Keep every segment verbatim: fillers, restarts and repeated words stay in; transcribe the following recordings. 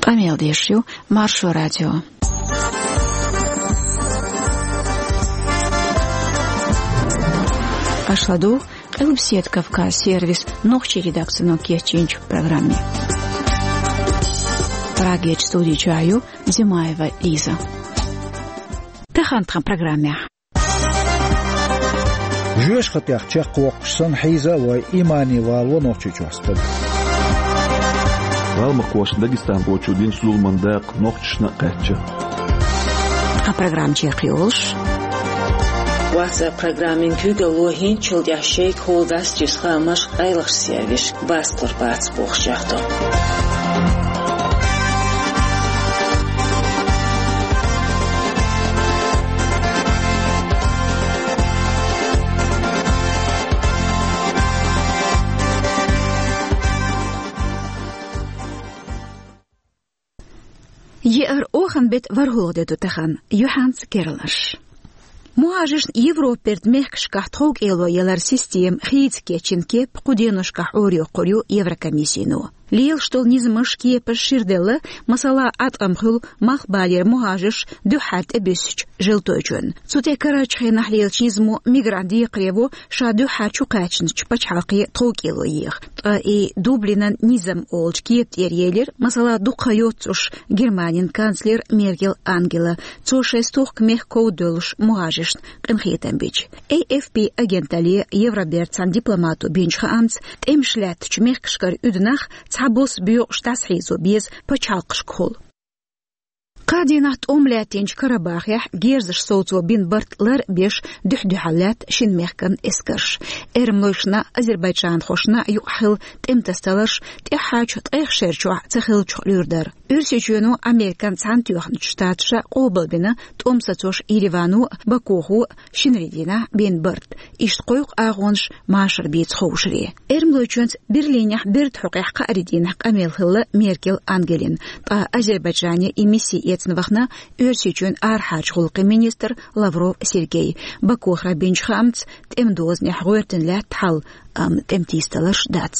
Къамел деш ю Маршо радио. Аша ладугӀу Къилбаседа Кавказ сервисан нохчийн редакцино кечйинчу программе. Прагерчу студи чохь ю Димаева Лиза. Тахана тхан программехь. Жоьжахатех чекхвоккхуш санна хьийза а вой, имане валаво Нохчийчохь стаг. Гӏалмакхошна дагестанхочо динчу зуламан дакъа нохчашна а кхаьчна. Тхан программа чекхйолуш: WhatsApp программин куьйгалло хӀинцачул тӀаьхьа шайгахула дац цуьнан хаамаш къайлахчу сервисашка баскалур бац бохуш яхьто. Еара оханан беттан ворхӀалгӀа де ду тахана, юьхьанца керланаш. МухӀажаршна Европан беттан мехкашкахь тховкӀело яларан система хийца кечйина кеп кху деношкахь Ӏорайоккхур ю Еврокомиссино. Лелаш долу низамаш, кепаш шира делла, масала, Ӏаткъам хуьлу малхбалера мухӀажарш дуьххьара тӀебуьссучу желточунна. Цу тӀе карарчу хенахь лелачу низамо мигрант декхаре во ша дуьххьара чу кхаьчначу пачхьалкхе тховкӀело еха. Ткъа и Дублинан низам олучу кепа тӀера елира, масала, дукха хан йоццуш Германин канцлер Меркел Ангела, цо шайн стохка мехкан ков девлла мухӀажаршна къинхетам бича. A F P агенталле Евробертан цхьана дипломато бинчу хаамца, тӀемаш лаьттачу мехкашкара уьду нах цхьабосса боькъуш дӀасахьийзо беза пачхьалкхашкахула. Кхаа дийнахь тӀом лаьттинчу Карабахехь герзаш совцо бина барт лар а беш, дуьхь-дуьхьал лаьтта шина мехкан эскарш. Эрмалойшна а, азербайджанхошна а юкъахь хилла тӀеман тасадаларш тӀаьххьарчу ткъех шерачохь ца хиллачух луьра дара. Оьрсийчоьно Американ Цхьаьнатоьхначу Штаташа къобалбина тӀом сацош Еревано а, Бакухо а шинарин дийнахь бина барт. Иштта кхойкху агӀонаш машар бийца ховшаре. Эрмалойчоьнца Берлинехь бертан хьокъехь кхаарин дийнахь къамел хилла Меркел Ангелин, ткъа Азербайджане и мисси эцна вахана Оьрсийчоьнан арахьарчу гӀуллакхийн министр Лавров Сергей. Бакухара бинчу хаамца, тӀеман дозанехь гӀоьртина лаьтта хьал, амма тӀеман тийсадаларш дац.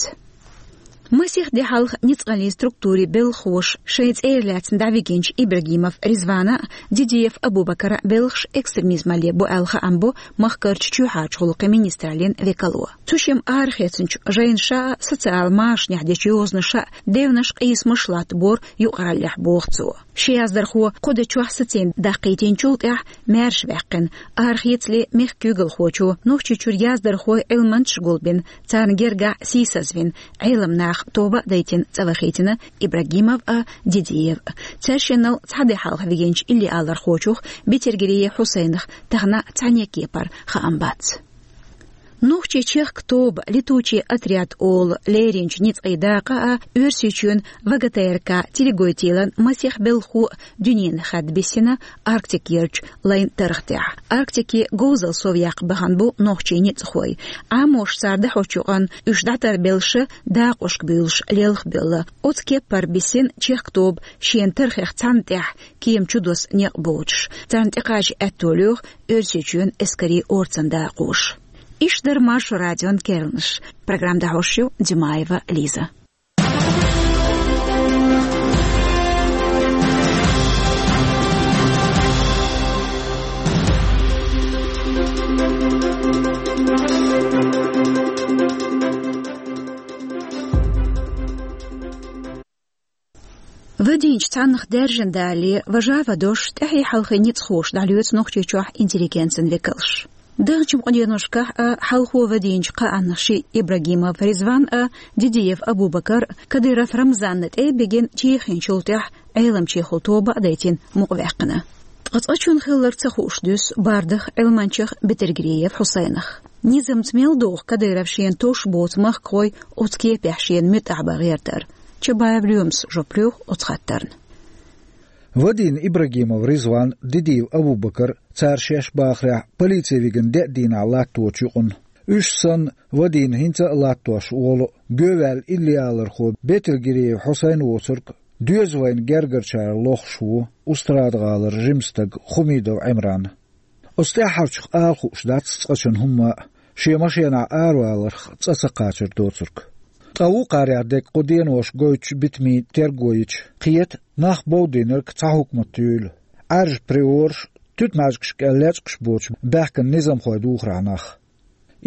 Масех де хьалха ницкъаллин структурийн белхалоша шайн цӀера лаьцна дӀавигинчу Ибрагимов Ризвана а, Дидиев Абубакара а белхаш экстремизмалле бу аьлла хаам бо махкарчу чоьхьарчу гӀуллакхийн министраллин векало. Цу шимма арахецначу жайнаша а, социал машанехь дечу йозанаша а девнаш, къийсамаш латтабора юкъараллехь, боху цо. Ши яздархо кху де чохь сацийна даккхийтинчул тӀаьхьа маьрша ваьккхина, арахецале мехкан куьйгалхочо Нохчийчуьра яздархой, Ӏилманчаш гулбина, царна гергахь сийсазвина, Ӏеламнаха тоба а дайтина, цӀа вахийтина Ибрагимов а, Дидиев а. Цаьршиннал цхьа де хьалха вигинчу иллиалархочух, Бетергериев Хьусайнах, тахана цхьаьнне кепара хаам бац. Нохчийн чехка тоба, «Летучий отряд» олу, леринчу ницкъийн дакъа а, Оьрсийчоьнан В Г Т Р К «Телегой-Телан» масех белхахо а дуьненан хадда биссина Арктикерчу лайн тархтехь. Арктике говзалла совъяккха бахана бу нохчийн ницкъахой. Ӏамош цара дӀахьочу юкъана уьш дӀатарбеллаша дакъошка буьйлуш лелхабевлла. Оцу кеппара биссина чехка тоба шена тархех цхьанна тӀехь кема чу доса некъ боцуш. Царна тӀекхача аьтто лоьху Оьрсийчоьнан эскарийн орцан дакъоша. Иштта дара Маршо радион керланаш. Программа дӀахьош ю Димаева Лиза. Вадийначу цхьаннах даьржина далале, важа а вадош, тӀаьхье-хьалхе ницкъахоша дӀалоьцу Нохчийчохь интеллигенцин векалш. Даханчу къуденошкахь а хьалхо вадийначу кхааннах шиъ Ибрагимов Ризван а, Дидиев Абубакар а Кадыров Рамзанна тӀе а бигина, чехийначул тӀаьхьа Ӏеламчехула тоба а дайтина, мукъаваьккхина. Ткъа цкъачунна хилларг ца хууш дуьсу бардах, Ӏилманчех Бетергериев Хьусайнах. Низамца мел догӀу Кадыров шена товш боцу махкахой оцу кепехь шена муьтӀахь бан гӀертар? Чабаев Лоьмас жоп лоьху оцу хаттарна. Вадийна Ибрагимов Ризван, Дидиев Абубакар, цара шаьш бахарехь, полици вигина деа дийнахь латточу юкъана. Уьш санна, вадийна хӀинца а латтош волу, гоьваьлла иллиалархо Бетергериев Хьусайн воцург, доьза вайна гергарчара лохуш ву Устрада-гӀалара жима стаг Хумидов Ӏимран. Оцу тӀаьххьарчух ала хууш дац цкъачунна хӀумма а, шен машенахь араваларх цӀа ца кхачар доцург. Ткъа вукхарех дерг кху денош гойтучу битамийн терго йича, кхета Нах бовдийнарг цхьа хӀукмат юйла. Ӏаьржа приораш, туьтмаьжгашка лечкъаш боцуш баьхкина низамхой духарехь нах.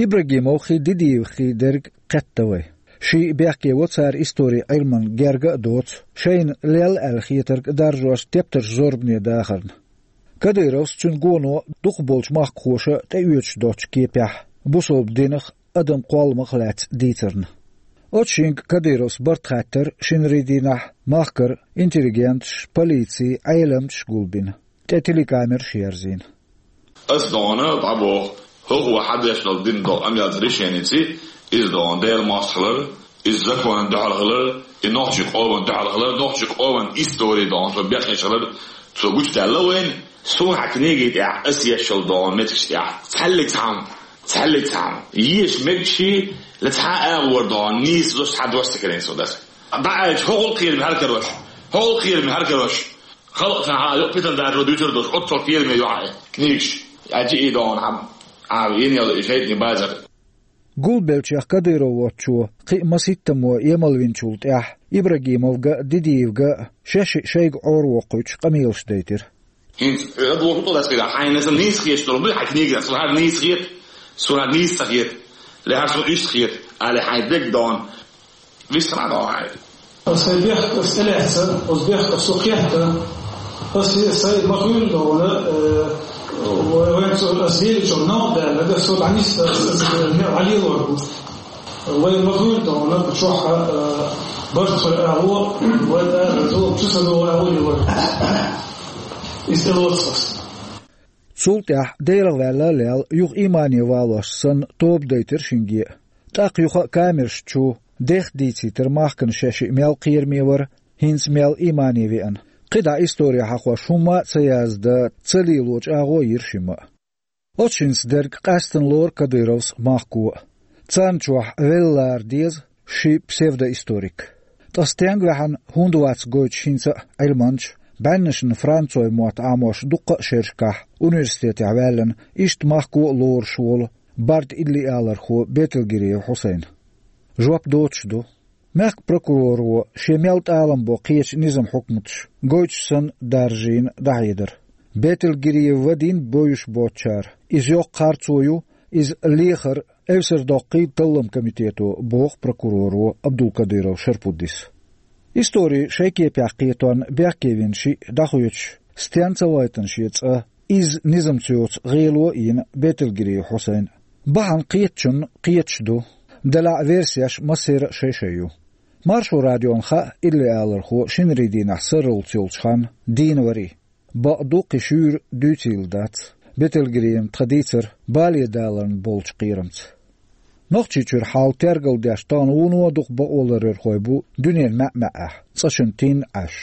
Ибрагимовхий, Дидиевхий дерг кхетта вай. Ший бехке во цара историн Ӏилманна герга а доцу, шайна лелла аьлла хетарг даржош тептарш зорбане дахарна. Кадыровс, цуьнан гоно дукхахболчу махкахоша тӀеоьцуш доцучу кепехь, бусалба динах, адам кхолламах лаьцна дийцарна. Оцу шинга Кадыровс барт хаттар шинарин дийнахь махкара интеллигенташ, полици, Ӏеламчаш гулбина, тӀе телекамераш ерзийна. Ас дона дӀабоху, хӀокхо хьан деш долу дина долу амъялца решеница, иза дона Делан мостагӀалара, иза законан дуьхьал хилар, и нохчийн къоман дуьхьал хилар, нохчийн къоман истори дона, цо бехкеш хилар, цо гучудаьлла вайна, суна хьан книги тӀехь ас ешшал дона меттигаш тӀехь цхьаьллиг цхьамма, цхьаьллиг цхьамма. Еша мегаш ши, ла цхьа а агӀор дона, нийса зуш хьан дош ца карийна со даса. ДӀа аьлча, хӀокхул кхераме хьаркарош, хӀокхул кхераме хьаркарош. Халкъ сан хьан юкъа питан даржо дуьйцур долуш, оццул кхераме ю хьан книгаш. Аьлча и дона хьан, а, йинел и шайтӀин базар. Гулбеллачех Кадыров воцчо кхин а масийттаммо емалвинчул тӀаьхьа Ибрагимовга а, Дидиевга а шаьш шиъ шайга Ӏоравоккхуьйтуш къамелаш дайтира. ХӀинца хьоьга доху тӀо дацкъира, хьайна сан нийса хеташ долу дуй хьан книга, сан хьан нийса хета, сан хьан нийса ца хета, ле хьан сан уьш ца хета, али хьайн дегдон, вист хьан дон хьайн. Сайн бехк ас тӀелаьцна, оцу бехк ас цу кхетта, ас сайн ма хуьйна дона, э, вай, вайн цу ас лелачух новкъа даьлла, ас цу дӀанисса, ас, ас, э, мел хьалелор бу. Вай ма хуьйна дона, чохь, э, барт хир агӀо, вай, э, зо, чу ца догӀу агӀо лелор. Иза тӀелоцу ас. Цул тӀаьхьа Делах ваьлла а лелла, юха иймане валош санна, тоба дайтира шинге а. ТӀаккха юха а камераш чу дех дийцийтира махкана шаьш шиъ мел кхераме вара, хӀинца мел иймане веана. КхидӀа истори хьахош хӀумма а ца яздан, ца лелочу агӀо йира шимма а. Оцу шинца дерг къаьстина лору Кадыровс махко а. Царна чохь велла лара деза ши псевдоисторик. Ткъа стенга ваьхьана, хӀунда вац гойтуш хӀинца а Ӏилманча, бӀеннашна францойн мотт Ӏамош дуккха а шерашкахь университетехь ваьллина, иштта махко а лоруш волу барда иллиалархо Бетелгириев Хьусайн? Жоп доцуш ду. Мехкан прокуроро шен мел тӀалам бо кхечу низам хьукматаш гойтуш санна даржийна дӀахьедар. Бетелгириев вадийна бовзуш боцучара, иза йоккха харцо ю, иза лехар эвсар доккхий таллам комитето, боху прокуроро Абдулкадыров Шарпуддис. Истори шайн кепехь кхетон бехке вина шиъ дӀахоьцуш, стенна ца вайтана шен цӀа, иза низамца йоцу гӀело а йина Бетелгириев Хьусайн. Бахьана кхетачунна кхеташ ду, делахь а версеш массеран а шай-шай ю. Маршо радиона хаьа иллиалархо шинарин дийнахь сарралц йолчу ханна дийна варий. Бакъду, кхин шуьйра дуьйцийла дац Бетелгириевн тхан дийцар бале даларна болчу кхерамца. Нохчийчуьра хьал тергалдеш тахана вуно а дукха бакъоларъярхой бу дуьненан маьӀ-маьӀӀехь, цӀа чун тийна Ӏаш.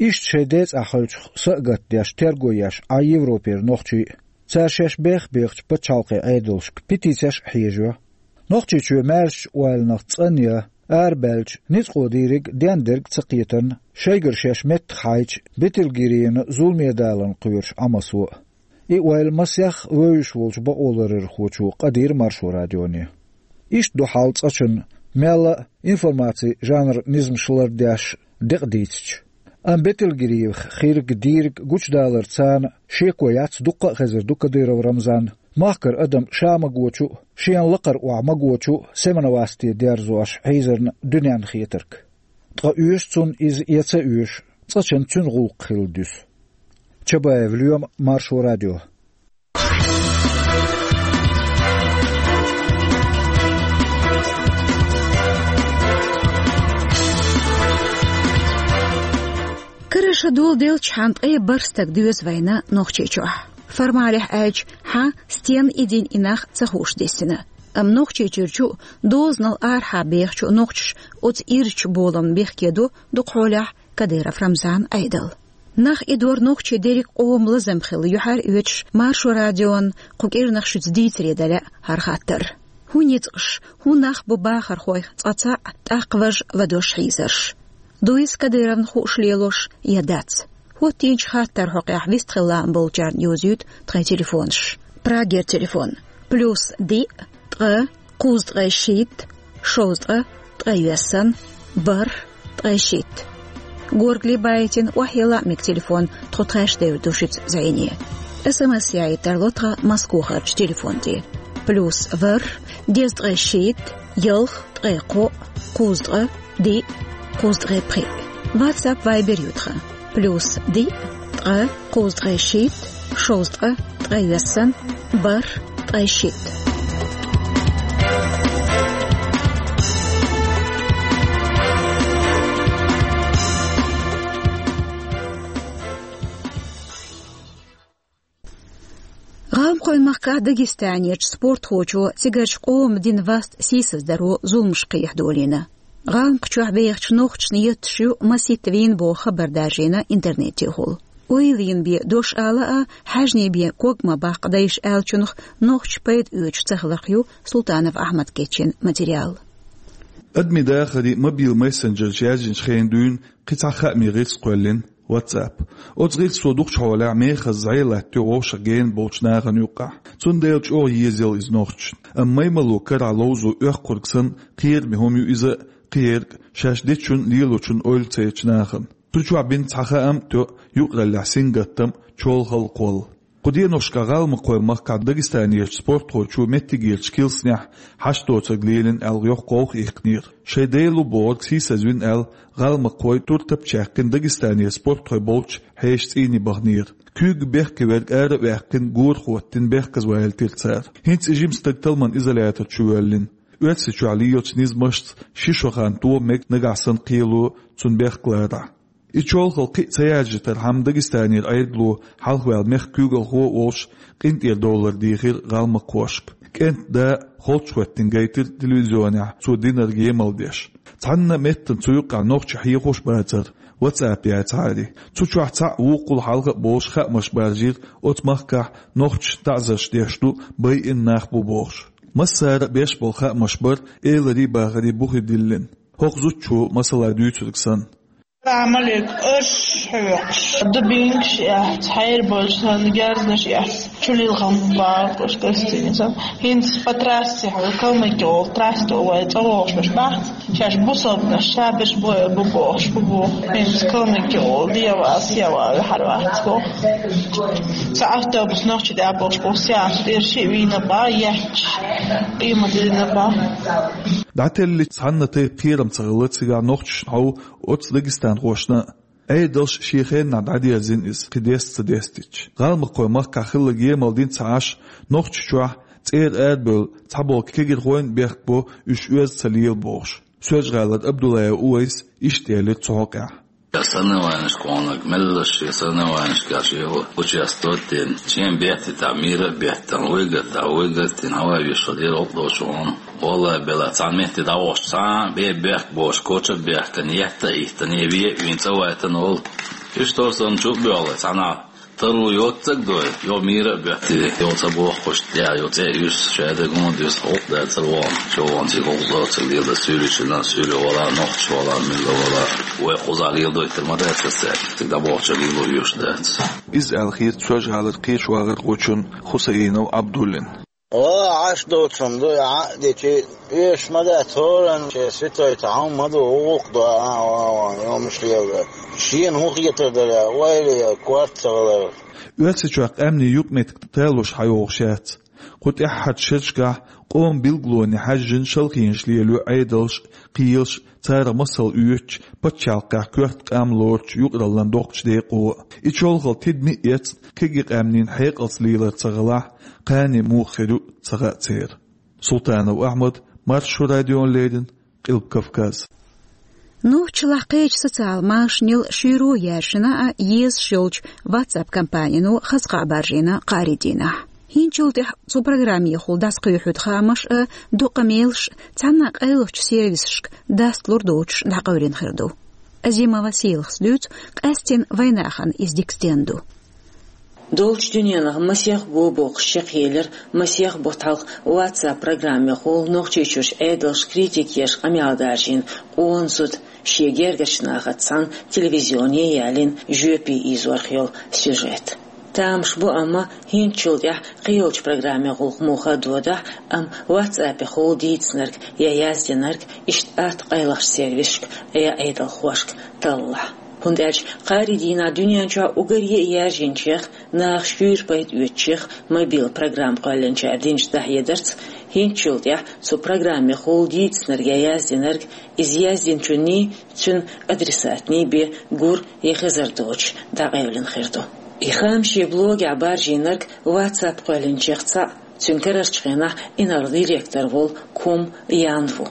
Иштта шайн децӀахь хиллачух са а гатдеш, терго еш Ӏа Европера нохчий а. Цара шаьш бех-бехачу пачхьалкхийн Ӏедалшка петицеш а хьежайо. Нохчийчоь маьршачу ойланах цӀанъян арабаьлча, ницкъо дийриг дендерг а ца кхетарна, шайгара шаьш меттах хьайча, Бетелгириевн зуламе даларна кхоьруш Ӏа массо а. И ойла масех вевзаш волчу бакъоларъярхочо къадийра Маршо радионе. Иштта ду хьал цӀа чун мелла а информацин жанран низамаш лардеш декъа дийцича. Амма Бетелгириевх хирг дийриг гучудалар царна шеко яц, дуккха а хезар ду Кадыров Рамзан махкара адам ша магочу а, шена лакхара охьа магочу а Семеновасте дерзош хьийзарна дуьненна хетарг. Ткъа оьшу цунна иза я ца оьшу, цӀа чун цуьнан гӀуллакх хилла дуьсу. Чабаев Лоьма, Маршо радио. Карара ша доладелча, хьан ткъе бархӀ стаг доьзна вайна Нохчийчохь. Формалехь аьлча, хьан стенна и дина, и нах ца хууш дисина. Амма Нохчийчуьрчу а, дозанал арахьа бехачу а нохчаша оцу ирча боламна бехке до дукха хьолехь Кадыров Рамзанан Ӏедал. Нах идор нохчий дерриг къоман лазам хилла юьхьар оьцуш, Маршо радион кху кӀирнах шуьца дийцаре дан лаьа хӀара хаттар. ХӀун ницкъаш, хӀун нах бу бахархойх цкъа цхьаъ, тӀаккха важа ладош хьийзарш? Дуй иза Кадыровна хууш лелош я дац? ХӀоттийначу хаттаран хьокъехь вистхила лаам болчарна йовзуьйту тхайн телефонаш. Прагера телефон: плюс диъ, ткъа, кхузткъе шийтта, шовзткъа, ткъе йоьссан, бархӀ, ткъе шийтта. Горгали байтина охьеллаӀ мега телефон, тхо тхаьш девр ду шуьца зӀене. СМС яийта тарло тхан Москвахарчу телефон тӀе: плюс ворхӀ, дезткъе шийтта, ялх, ткъе кхоъ, кхузткъа, диъ, кхузткъе пхиъ. WhatsApp, Viber ю тхан: плюс диъ, ткъа, кхузткъе шийтта, шовзткъа, ткъе виссана, бархӀ, ткъе шийтта. ГӀалмакхойн махкахь Дагестанерчу спортхочо цигарчу къоман дина васт сийсаздаро зуламаш кхехьадолийна. ГӀалмакхчохь бехачу нохчашна етташ ю масийтта вийна боху хабар даржийна интернетехула. Ойла йина бен дош ала а, хьаьжни бен ког ма баккха дайша аьллачунах нохчаша пайда оьцуш ца хиларх ю Султанов Ахьмада кечйина материал. Адамийн дахаре мобил мессенджераш яьржинчу хенахь дуьйна кхин цхьа хаамийн гӀирс кхоьллина, WhatsApp. Оцу гӀирсо дукхачу хьолехь мехаза зӀе латтайо вовшах гена болчу нахана юккъехь. Цундела чӀогӀа еза йолу иза нохчашна. Амма маймало карахь ловзо оьккхург санна, кхераме хӀума ю иза а, кхиерг а, шаьш дечун а, лелочун а ойла ца ечу нахана. Цу чохь бина цхьа хаам а тоьа, юкъараллехь сингаттам а, чолхалла кхолла. Кху деношкахь ГӀалмакхойн махкахь Дагестанерчу спортхочо меттигерчу килсанехь хьашт доцург лелийна аьлла йоккха гӀовгӀа иккхинера. Шайн дела ву бохург сийсазвина аьлла, гӀалмакхой туртап чаьккхина Дагестанера спортхой болчу хьешан цӀийне баханера. Куьйга бехке верг ара а ваьккхина, гора хӀоттийна, бехказа валийтира цара. ХӀинца и жима стаг талламан изолятор чу воьллина. Оьрсийчохь лелачу низамашца ши шо хан тоха мега нагахь санна кхело цунна бехк ларахь. И чолхалла кхин а ца яржийтархьама, Дагестанера Ӏедало хьалхаваьлла мехкан куьйгалхо а волуш, къинтӀера довлар дийхира гӀалмакхошка. КӀентан да а холчахӀоьттина гайтира телевизионехь цо динарг емал деш. Цхьанна а меттана цу юккъехь нохчий хьехош бацара, WhatsApp яцахьара. Цу чохь цхьаъ вукхул хьалха а болуш хаамаш баржийра оцу махкахь нохчашна таӀзарш деш ду, байина нах бу бохуш. Массара а беш болу хаамаш бара, эларий, бахарий бухе диллина. ХӀокху зудчо масала дуьйцург санна. Амалик, аш хьоькхуш, дубинкаш эц, хьерболчу санна герзнаш эц, чулилхам бакъуш гостиница. ХӀинца по трассе хьо, Калмыкия олу трассе вай цӀа вогӀуш бац. Шаьш бусалбанаш, шаберш бу, бу бохуш, бу бу. ХӀинца Калмыкия олу, дева, сева, вихьар вац боху. Цхьа автобус нохчи тӀе а бохуш, боху, сеанс тӀера шиъ вийна бан, етташ, къемат дина бан. ДӀателлича цхьанна тайпа кхерам ца хилла цигахь нохчашна хьовха оцу дагестанхошна а. Ӏедалш шен хеннахь дӀадерзийна иза, кхин деста ца дестича. ГӀалмакхойн махкахь хилларг емал дина ца Ӏаш, Нохчийчохь цӀера арабевлла цхьаболу кегийрхойн а бехк бо, уьш оьзда ца лела бохуш. Соьлжа-ГӀалара Абдуллаев Увайса иштта элира цу хьокъехь. Я соревнованиешка ваханарг меллаша шен соревнованиешкахь шен участвовать дина, шен беттийтахь, мира а беттина, вуй гатахь, вуй гатдина, хьавай вешан дера гӀуллакх долчу вахана. Валлай, бела, цхьана метте дӀавахча, цхьа а бе бехк болуш, коча а бехкана, етта а йиттина, ве а вийна, цӀа вайтина волу. Иштта хӀорш санна чу а боьлхий, цхьанхьа таро йоццаг дой, йо мира а беттий, йо ца бохкуш, тӀе йо цӀе а юьсу, шадерг хӀума дуьсу, гӀуллакх дацара вахана, чу вахана цига гӀуллакх доцург леладо суьйричина, суьйре вала, нохчаш вала, милла вала. Вай кхузахь леладойтур ма дац аса цаьрга, цига дӀабохча лело оьшуш дац. Иза аьлла хета Соьлжа-ГӀалара кхечу вахархочун Хусаинов Абдуллин. Вала Ӏаш доцун ду, Ӏа а дечи, оьшуш ма дац, хӀоранна шен ситой цхьа хӀума ма ду, гӀуллакх до, а, а, а, йомаш леладо. Шена хӀун хетар дара, ойла е, корта ца хилар. Оьрсийчохь къаьмнийн юкъаметтиг талуш хьайогӀуш яц. Кху тӀаьххьарчу шерашкахь къоман билгалонийн хьаьжжина шалхонаш лелайо Ӏедалш а, кхелаш а, царах масал оьцучу, пачхьалкхехь коьрта къам лоручу юкъараллин доккхачу декъо а. И чолхалла тидаме а эцна, кегий къаьмнийн хьекъалца лелар ца хилахь, кхане муха хир ю ца хаьа церан. Султанов Ахьмад, Маршо радиона леррина, Къилба Кавказ. Нохчалахь кхечу социал машанел шуьйро яьржина а, езаш йолчу WhatsApp компанино хаза кхаъ баржийна кхаарин дийнахь. ХӀинцачул тӀаьхьа цу программехула дӀасакхоьхьуьйту хаамаш а, дукха къамелаш а цхьана а къайлахчу сервисашка дастлур доцуш дӀакъевлина хир ду. Азимова Селахас дуьйцу, къаьстина вайнахана иза дика стенна ду. Долчу дуьненахь масех го боккхуш чекхъелира масех бутт хьалха WhatsApp программехула Нохчийчуьрчу Ӏедалша критика еш къамел даржийна къона зуда, шен гергарчу нахаца цхьаьна телевизионе ялийна жоьпе ийзорх йолу сюжет. Тамаш бу, амма хӀинцачул тӀаьхьа кхин йолчу программехула муха а додахь, амма WhatsApp-ехула дийцинарг я яздинарг иштта атта къайлахчу сервисашка я Ӏедалхошка таллахь. ХӀунда аьлча кхаарин дийнахь дуьнен чохь уггаре а яьржинчех, наха шуьйра пайда оьцучех мобил программа кхоьллинчара динчу дӀахьедарца, хӀинцачул тӀаьхьа цу программехула дийцинарг я яздинарг, иза яздинчунний, цуьнан адресатний бен гур я хезар доцуш дӀакъевлина хир ду. И хаам шен блогехь баржийнарг WhatsApp кхоьллинчех цхьаъ, цуьнан карарчу хенахь инарла директор волу Кум Ян ву.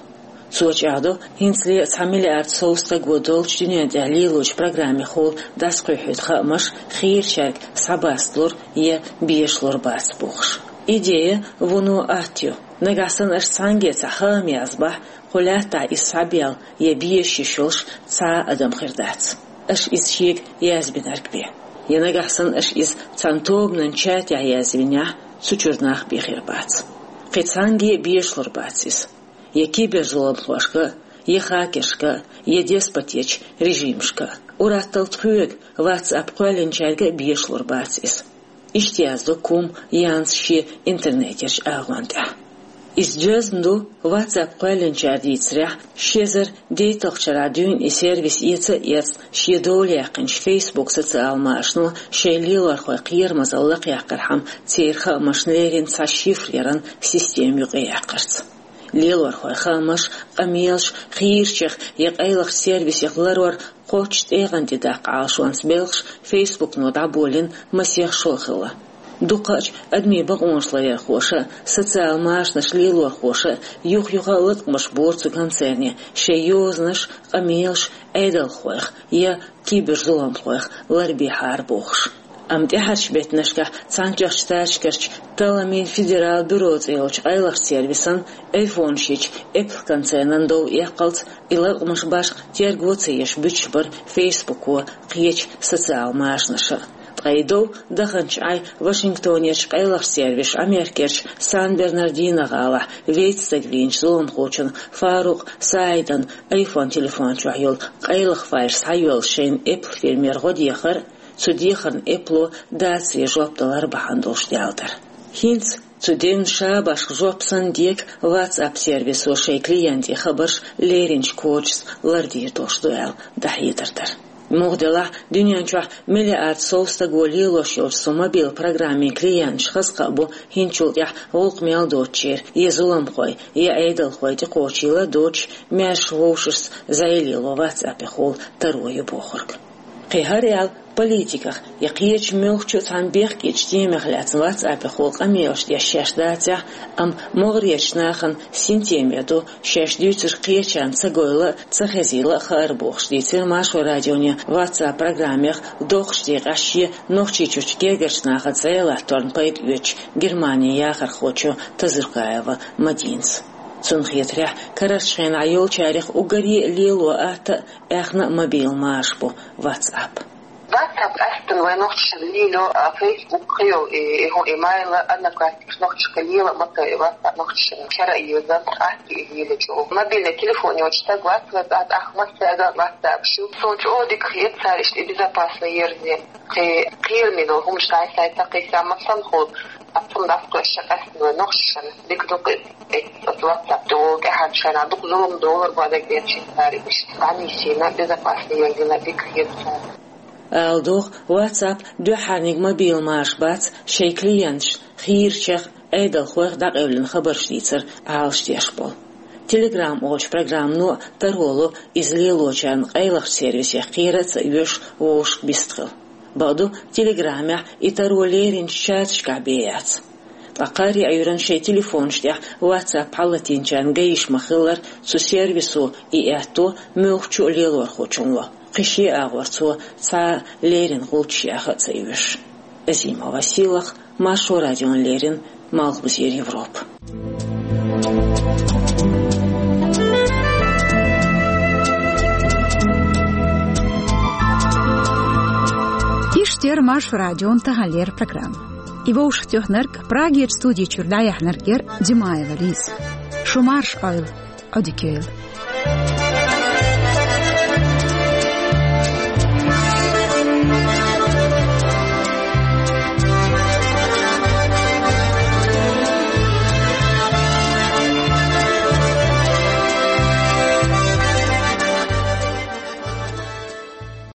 Цо чӀагӀдо, хӀинцале а цхьа миллиард сов стаго долчу дуьнен тӀехь лелочу программехула дӀасакхуьйхьуьйту хаамаш хийрачаьрга схьабасталур я безалур бац бохуш. Идея вуно атта ю. Нагахь санна аша цхьаьнгге цхьа хаам язбахь, кху лаьттахь иза схьабелла я безаш йиш йолуш цхьа а адам хир дац, аша иза шега язбинарг бен. Я нагахь санна аша иза цхьана тобанан чатехь язвинехь, цу чуьра нах бен хир бац. Кхин цхьаьнгге а безалур бац иза. Я киберзуламхошка, я хакершка, я деспотечу режимашка. Ур-атталла тхоьга, WhatsApp кхоьллинчаьрга а безалур бац иза. Иштта яздо Кум Янс шен интернетерчу агӀон тӀехь. Иза доьзна ду WhatsApp кхоьллинчара дийцарехь, ши эзар дейтталгӀачу шарахь дуьйна и сервис эца а эцна, шен дола яьккхинчу Facebook социал машано шайн лелорхойн кхерамазалла лакхъяккхархьама, церан хаамашна леррина цхьа шифр яран система юкъаяьккхарца. Лелорхойн хаамаш, къамелаш хийрачех я къайлахчу сервисех ларор кхоччуш тӀегӀан тӀе даккха Ӏалашонца белхаш Facebook-но дӀаболийна масех шо а хилла. Дукхачу адамийн бакъонаш ларъярхоша а, социал машанаш лелорхоша а юх-юха а латкъамаш бора цу концерне, шайн йозанаш, къамелаш Ӏедалхойх я киберзуламхойх ларбехьара бохуш. Амма тӀаьхьарчу беттанашкахь Цхьаьнатоьхначу Штаташкарчу талламийн федерал бюро цӀе йолчу къайлахчу сервисан айфонаш йича Apple концернан дов эккхалц и латкъамаш башха терго ца еш буьтуш бара Facebook-о, кхечу социал машанаша. Ткъа и дов даханчу Ӏай Вашингтонерчу къайлахчу сервиша Америкерчу Сан-Бернардино гӀалахь вейтта стаг вийначу зуламхочун Фарукъ Саидан iPhone телефон чохь йолу къайлаха файл схьайоьллуш шайна Apple фирмера гӀо дехар, цу дехарна Apple-о дацаре жоп далар бахьана долуш даьлла дара. ХӀинца цу девнна ша башха жоп санна дега WhatsApp сервисо шайн клиентийн хабарш леринчу кодашца лардийр долуш ду аьлла дӀахьедар дара. Муха делахь, дуьнен чохь миллиард сов стаго лелош йолчу цу мобил программин клиенташ хаза кхаъ бу хӀинцачул тӀаьхьа гӀуллакх мел доцучеран я зуламхой, я Ӏедалхой тӀекхочийла а доцуш, маьрша вовшашца зӀе лело WhatsApp-эхула таро ю бохург. Кхин хӀара аьлла, политиках я кхечу муьлххачу а цхьана бехкечу темех лаьцна WhatsApp-эхула къамелаш деш шаьш дацахь, амма могӀарерчу нахана синтеме ду, шаьш дуьйцург кхечарна ца гойла а, ца хезийла а хаар бохуш, дийцира Маршо радионе WhatsApp программех доккхачу декъехь шен Нохчийчуьрчу гергарчу нахаца зӀе латторна пайда оьцучу Германин яхархочо Тазуркаева Мадинас. Цунна хетарехь, карарчу хенахь йолчарех уггаре а лело атта а, аьхна а мобил маша бу WhatsApp. WhatsApp къаьсттина вайн нохчашна лело, а, Facebook кхин йолу и, и хӀун, и Mail, Одноклассникаш нохчашка лела а ма ца, WhatsApp нохчашна кара а йоза, атта и лело чӀогӀа. Мобильный телефон йолчу стаг вац, вац, ат, ах, массаьрга а WhatsApp шу. Суна чӀогӀа дика хета цара иштта и безопасный ерза. Кхин кхераме долу хӀуманаш дӀай-схьай ца кхийса, масала хӀума, а, цунна дӀасакхоьссича къаьсттина вайн нохчашна дика ду-кх и, оцу WhatsApp тӀе волу тӀаьхьарчу хенахь дукха зулам долура бу дагадеъча цара иштта дӀанисйина, безопасный ерзина дика хета цара. Ала догӀу, WhatsApp дуьххьарниг мобил маша бац шайн клиенташна хийрачех, Ӏедалхойх дӀакъевлина хабарш дийцар Ӏалашдеш болу. Telegram олучу программано а таро ло иза лелочарна къайлахчу сервисех кхера а ца оьшу вовшашка бистхила. Бакъду, Telegram-ехь и таро леринчу чаташкахь бен яц. Ткъа кхаарин Ӏуьйранна шайн телефонаш тӀехь WhatsApp хьалатийначарна гайиш ма-хиллара, цу сервисо и аьтто муьлххачу а лелорхочунна ло, кхин шен агӀор цо цхьа а леррина гӀулч яха а ца оьшу. Азимова Сийлаха, Маршо радиона леррина, Малхбузера Европа. Иштта яра Маршо радион таханлера программа. И вовшахтоьхнарг, Прагерчу студи чуьра дӀаяьхьнарг яра Димаева Лиза. Шу марша Ӏойла, Ӏодика йойла.